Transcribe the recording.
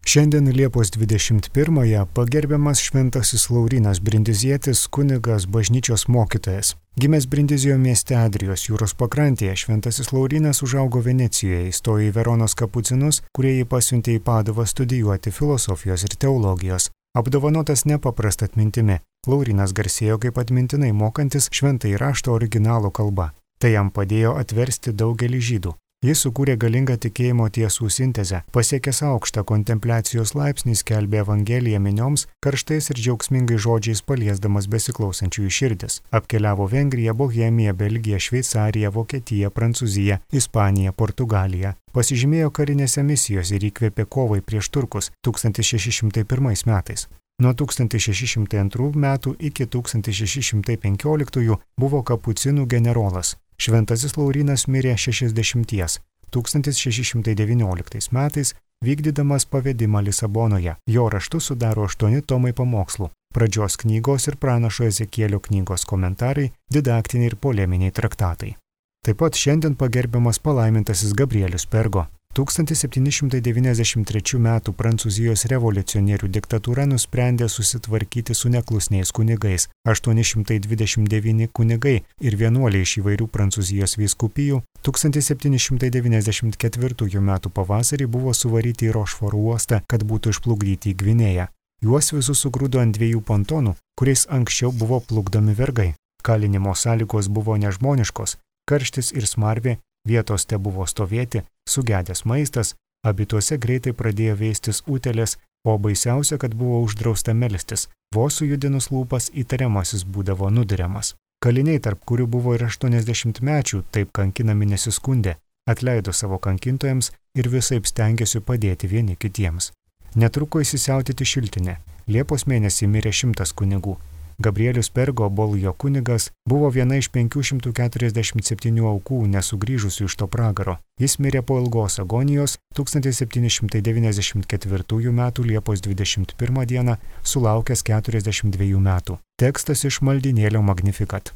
Šiandien Liepos 21-ąją pagerbiamas Šventasis Laurynas Brindizietis, kunigas, bažnyčios mokytojas. Gimęs Brindizijo mieste Adrijos jūros pakrantėje, Šventasis Laurynas užaugo Venecijoje, įstojo į Veronos kapucinus, kurie jį pasiuntė į Paduvą studijuoti filosofijos ir teologijos. Apdovanotas nepaprasta atmintimi, Laurynas garsėjo kaip atmintinai mokantis šventąjį raštą originalo kalba. Tai jam padėjo atversti daugelį žydų. Jis sukūrė galingą tikėjimo tiesų sintezę, pasiekęs aukštą kontempliacijos laipsnį, skelbė Evangeliją minioms, karštais ir džiaugsmingais žodžiais paliesdamas besiklausančiųjų širdis. Apkeliavo Vengriją, Bohemiją, Belgiją, Šveicariją, Vokietiją, Prancūziją, Ispaniją, Portugaliją. Pasižymėjo karinėse misijose ir įkvėpė kovai prieš turkus 1601 metais. Nuo 1602 metų iki 1615 buvo kapucinų generolas. Šventasis Laurynas mirė 60, 1619 metais, vykdydamas pavedimą Lisabonoje. Jo raštus sudaro 8 tomai pamokslų, pradžios knygos ir pranašo Ezekielio knygos komentarai, didaktiniai ir poleminiai traktatai. Taip pat šiandien pagerbiamas palaimintasis Gabrielius Pergo. 1793 m. Prancūzijos revoliucionierių diktatūra nusprendė susitvarkyti su neklusniais kunigais. 829 kunigai ir vienuoliai iš įvairių Prancūzijos vyskupijų 1794 m. pavasarį buvo suvaryti į Rošforo uostą, kad būtų išplukdyti į Gvinėją. Juos visus sugrūdo ant 2 pontonų, kuriais anksčiau buvo plukdomi vergai. Kalinimo sąlygos buvo nežmoniškos, karštis ir smarvė, vietos te buvo stovėti, sugedęs maistas, abituose greitai pradėjo veistis utėlės, o baisiausia, kad buvo uždrausta melstis. Vos sujudinus lūpas įtariamasis būdavo nudiriamas. Kaliniai, tarp kurių buvo ir 80-mečių, taip kankinami nesiskundė, atleido savo kankintojams ir visaip stengiasi padėti vieni kitiems. Netruko įsisiautėti šiltinė. Liepos mėnesį mirė 100 kunigų. Gabrielius Pergo, Bolujo kunigas, buvo viena iš 547 aukų nesugrįžusių iš to pragaro. Jis mirė po ilgos agonijos 1794 m. Liepos 21 d. sulaukęs 42 metų. Tekstas iš maldynėlio Magnificat.